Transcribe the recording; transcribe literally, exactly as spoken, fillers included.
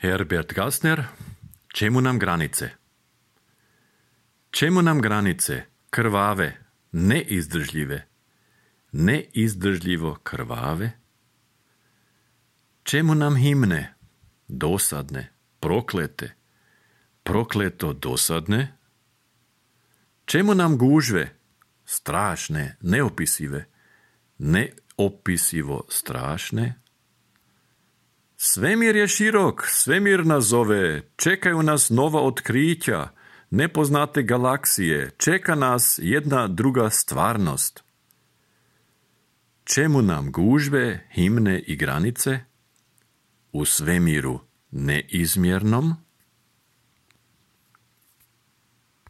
Herbert Gassner, čemu nam granice? Čemu nam granice, krvave, neizdržljive, neizdržljivo krvave? Čemu nam himne, dosadne, proklete, prokleto dosadne? Čemu nam gužve, strašne, neopisive, neopisivo strašne? Svemir je širok, svemir nas zove, čekaju nas nova otkrića, nepoznate galaksije, čeka nas jedna druga stvarnost. Čemu nam gužve, himne i granice? U svemiru neizmjernom,